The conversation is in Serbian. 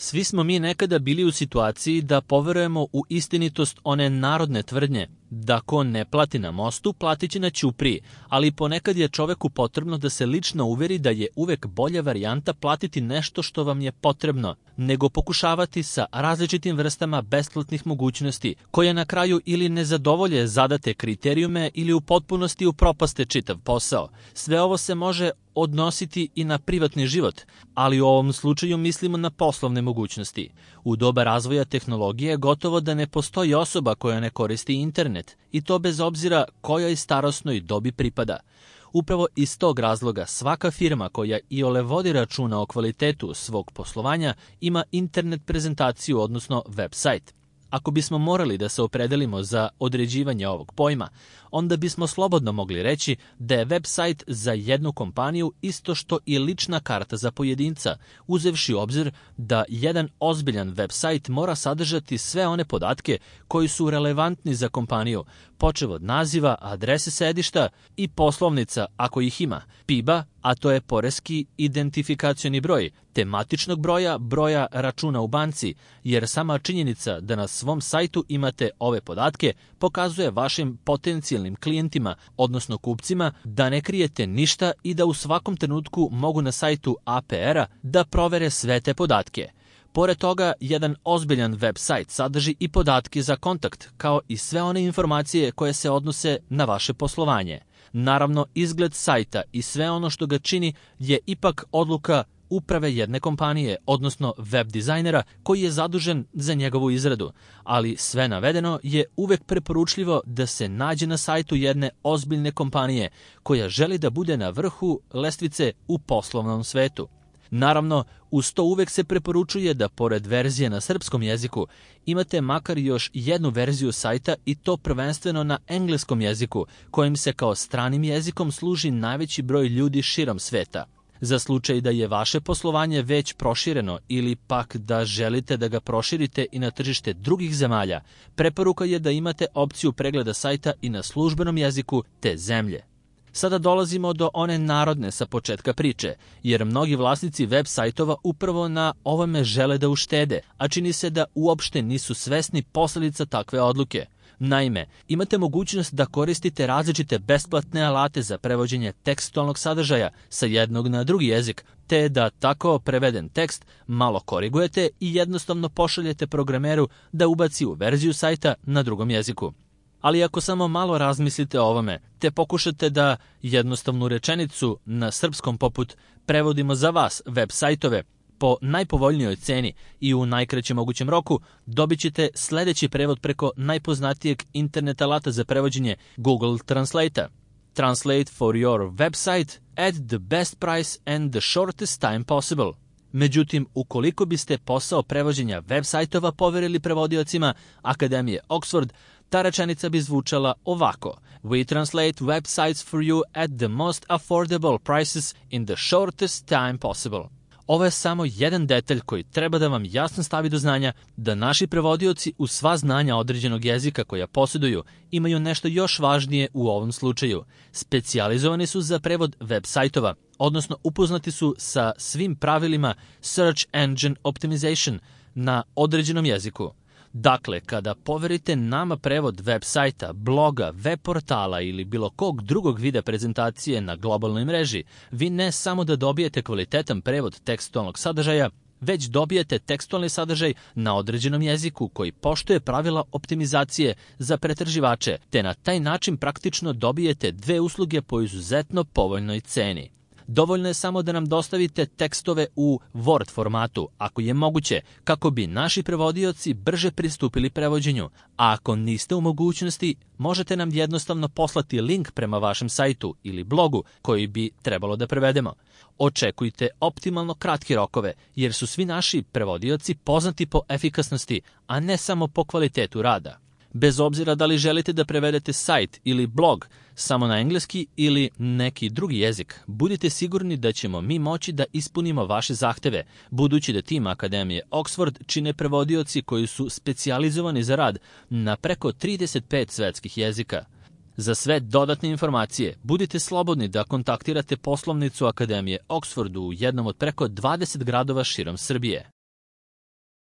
Svi smo mi nekada bili u situaciji da poverujemo u istinitost one narodne tvrdnje da ko ne plati na mostu, platit će na ćupriji, ali ponekad je čoveku potrebno da se lično uveri da je uvek bolja varijanta platiti nešto što vam je potrebno, nego pokušavati sa različitim vrstama besplatnih mogućnosti, koje na kraju ili ne zadovolje zadate kriterijume ili u potpunosti upropaste čitav posao. Sve ovo se može odnositi i na privatni život, ali u ovom slučaju mislimo na poslovne mogućnosti. U doba razvoja tehnologije gotovo da ne postoji osoba koja ne koristi internet, i to bez obzira kojoj starosnoj dobi pripada. Upravo iz tog razloga svaka firma koja iole vodi računa o kvalitetu svog poslovanja ima internet prezentaciju, odnosno web sajt. Ako bismo morali da se opredelimo za određivanje ovog pojma, onda bismo slobodno mogli reći da je web sajt za jednu kompaniju isto što i lična karta za pojedinca, uzevši u obzir da jedan ozbiljan web sajt mora sadržati sve one podatke koji su relevantni za kompaniju, počev od naziva, adrese sedišta i poslovnica ako ih ima, PIB-a, a to je poreski identifikacioni broj, tematičnog broja, broja računa u banci, jer sama činjenica da na svom sajtu imate ove podatke pokazuje vašim potencijalnim klijentima, odnosno kupcima, da ne krijete ništa i da u svakom trenutku mogu na sajtu APR-a da provere sve te podatke. Pored toga, jedan ozbiljan web sajt sadrži i podatke za kontakt, kao i sve one informacije koje se odnose na vaše poslovanje. Naravno, izgled sajta i sve ono što ga čini je ipak odluka uprave jedne kompanije, odnosno web dizajnera koji je zadužen za njegovu izradu, ali sve navedeno je uvek preporučljivo da se nađe na sajtu jedne ozbiljne kompanije koja želi da bude na vrhu lestvice u poslovnom svetu. Naravno, uz to uvek se preporučuje da pored verzije na srpskom jeziku imate makar još jednu verziju sajta, i to prvenstveno na engleskom jeziku, kojim se kao stranim jezikom služi najveći broj ljudi širom sveta. Za slučaj da je vaše poslovanje već prošireno ili pak da želite da ga proširite i na tržište drugih zemalja, preporuka je da imate opciju pregleda sajta i na službenom jeziku te zemlje. Sada dolazimo do one narodne sa početka priče, jer mnogi vlasnici web sajtova upravo na ovome žele da uštede, a čini se da uopšte nisu svesni posledica takve odluke. Naime, imate mogućnost da koristite različite besplatne alate za prevođenje tekstualnog sadržaja sa jednog na drugi jezik, te da tako preveden tekst malo korigujete i jednostavno pošaljete programeru da ubaci u verziju sajta na drugom jeziku. Ali ako samo malo razmislite o ovome, te pokušate da jednostavnu rečenicu na srpskom poput prevodimo za vas web sajtove po najpovoljnijoj ceni i u najkraćem mogućem roku, dobit ćete sledeći prevod preko najpoznatijeg internet alata za prevođenje Google Translate-a. Translate for your website at the best price and the shortest time possible. Međutim, ukoliko biste posao prevođenja web sajtova poverili prevodiocima Akademije Oxford, ta rečenica bi zvučala ovako: We translate websites for you at the most affordable prices in the shortest time possible. Ovo je samo jedan detalj koji treba da vam jasno stavi do znanja da naši prevodioci uz sva znanja određenog jezika koja posjeduju imaju nešto još važnije u ovom slučaju. Specijalizovani su za prevod web sajtova, odnosno upoznati su sa svim pravilima Search Engine Optimization na određenom jeziku. Dakle, kada poverite nama prevod web sajta, bloga, web portala ili bilo kog drugog vida prezentacije na globalnoj mreži, vi ne samo da dobijete kvalitetan prevod tekstualnog sadržaja, već dobijete tekstualni sadržaj na određenom jeziku koji poštuje pravila optimizacije za pretraživače, te na taj način praktično dobijete dve usluge po izuzetno povoljnoj ceni. Dovoljno je samo da nam dostavite tekstove u Word formatu, ako je moguće, kako bi naši prevodioci brže pristupili prevođenju, a ako niste u mogućnosti, možete nam jednostavno poslati link prema vašem sajtu ili blogu koji bi trebalo da prevedemo. Očekujte optimalno kratke rokove, jer su svi naši prevodioci poznati po efikasnosti, a ne samo po kvalitetu rada. Bez obzira da li želite da prevedete sajt ili blog samo na engleski ili neki drugi jezik, budite sigurni da ćemo mi moći da ispunimo vaše zahteve, budući da tim Akademije Oxford čine prevodioci koji su specijalizovani za rad na preko 35 svetskih jezika. Za sve dodatne informacije budite slobodni da kontaktirate poslovnicu Akademije Oxford u jednom od preko 20 gradova širom Srbije.